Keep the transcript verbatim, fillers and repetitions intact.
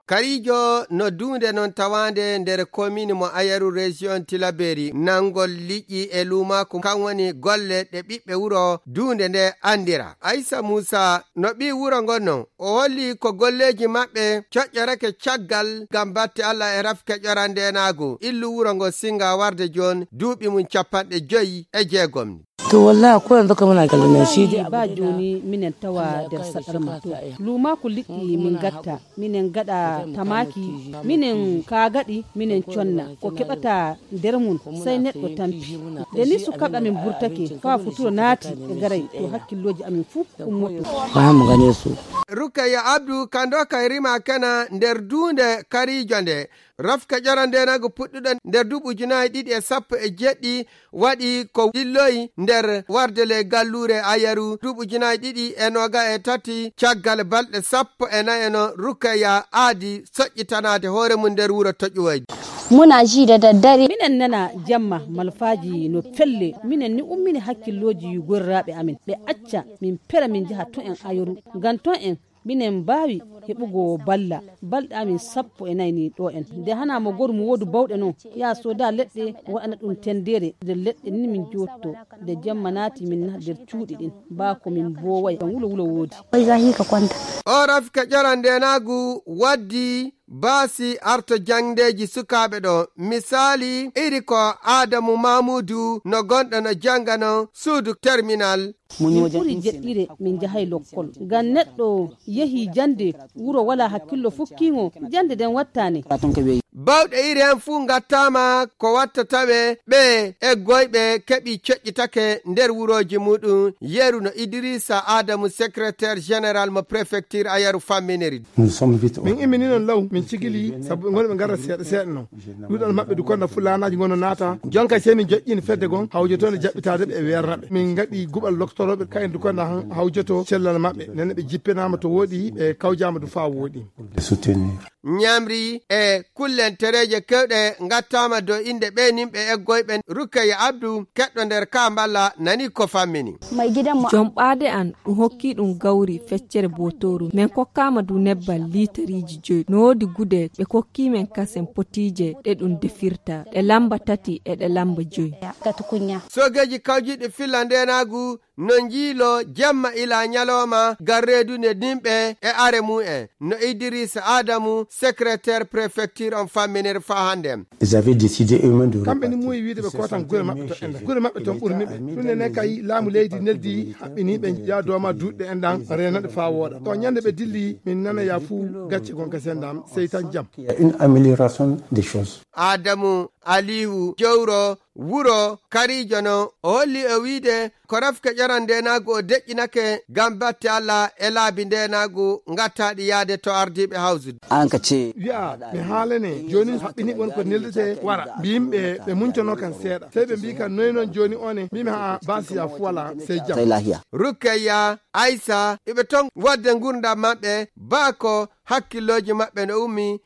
karijo no dunde non tawande nder commune mo Ayaru region Tilaberi nangol liƴƴi e lumako kan woni golle ɗe ɓiɓɓe wuro dunde nde andira. Aissa Musa no ɓi wuro ngonno o holli ko golleji maɓɓe coƴƴorake caggal gam batte Allah e rafke ƴorandenago illu wuro ngo singa warde jon duuɓi mum capanɗe joyi e jeegom. To wallahi ko yanzu kamar galina shi ba joni minen tawa der sadarma to luma ko liɗɗi min gatta minen gada tamaki minen ka gadi minen conna ko kebata der mun sai neddo tampi de ni su kaɓa min burtake fa futuro naati e garay to hakkilloji amin fu ummoto ba mu gane su. Rukaya Abdu kando kayrima kana nder dunde karijo nde rafka ƴorandenago puɗɗuɗo nder duuɓi ujunaje ɗiɗi e sappo e jeɗɗi waɗi ko dilloyi nder wardele gallure Ayaru duuɓi ujunaje ɗiɗi e noga e tati caggal balɗe sappo e nayi no Rukaya aadi soƴƴitanade hoore mum nder wuro Toƴuwoyde. Muna ji da daddare minen nana jamma malfaji no felle minen ni ummini hakkilloji gorraɓe amin ɓe acca min pera min jaha to en Ayaru ngam to en minen mbawi heɓugo balla balɗe amin sappo e nayni ɗo en nde hana mo goru mo wodu bawɗe noon ya soda leɗɗe waɗana ɗum tendere nder leɗɗe ni min jotto nde jamma naati min na nder cuuɗi ɗin bako min boway kan wulo wulo woodi wai zahi ka kwanta o rafka ƴorandenagu waddi baasi arto jangdeji sukaɓe ɗo misali iri ko Adamu Mamudu no gonɗo no jangano suudu terminal. min ɓuri jeɗɗire min jahay lokkol ngam neɗɗo yehi jande wuro wala hakkillo fukkingo jande den wattane bawɗe iri hen fuu gattama ko watta tawe ɓe e goyɓe keɓi coƴƴitake nder wuroji muɗum yeru no Idrissa Adamu secrétaire général mo préfecture Ayaru famminiri. min immini non law min cigili sabu gonɓe garra seeɗa seeɗa noon ɗuɗal maɓɓe du konno fulanaji gono naata jonka sey min joƴƴini fedde gon hawjoto ne jaɓɓitade ɓe e wernaɓe min gaɗi guɓal loktoroɓe kayen du konno hawjoto cellal maɓɓe nene ɓe jippinama to woɗi ɓe kawjama du fa woɗi ñamri e kullen tereje kewɗe gattama dow inde ɓeninɓe eggoyɓe Rukaya Abdu keɗɗo nder Kamballa nani ko fammini. mai gidan mu jom ɓaade an ɗum hokki ɗum gawri feccere botoru min kokkama du nebbal litariji joyi no wodi gude ɓe kokki men kasen potije ɗe ɗum defirta ɗe lamba tati e ɗe lamba joyi sogeji kawjiɗe fillandenagu no jiilo jemma ila nyaloma garredude nimɓe e are mu'en no Idrissa Adamu secrétaire préfecture on famminir fa hande kamɓe ni muyi wiide ɓe kotan gure maɓɓe to enda gure maɓɓe ton ɓurniɓe ɗum ne kay laamu leydi neldi haɓɓini ɓe yaadoma duuɗɗe enɗan renaɗe fa wooɗa to ñande ɓe dilli min nana ya fuu gacce gonka sendam sey tan jam une amélioration des choses. Adamu Aliyu Jowro wuro karijo no o holli e wiide ko rafke ƴorandenagu o deƴƴinake gam batte Allah e laabi ndenagu gattaɗi yaade to ardiɓe hawsude an ka ce wiya mi haalane joni haɓɓini won ko neldete wara mbiyimɓe ɓe muncono kan seeɗa sey ɓe mbi kan noyi noon joni one mbimi ha basiya fu wala sey jam Rukaya Aissa iɓe ton wadde gurdam maɓɓe baako hakkilloji maɓɓe no ummi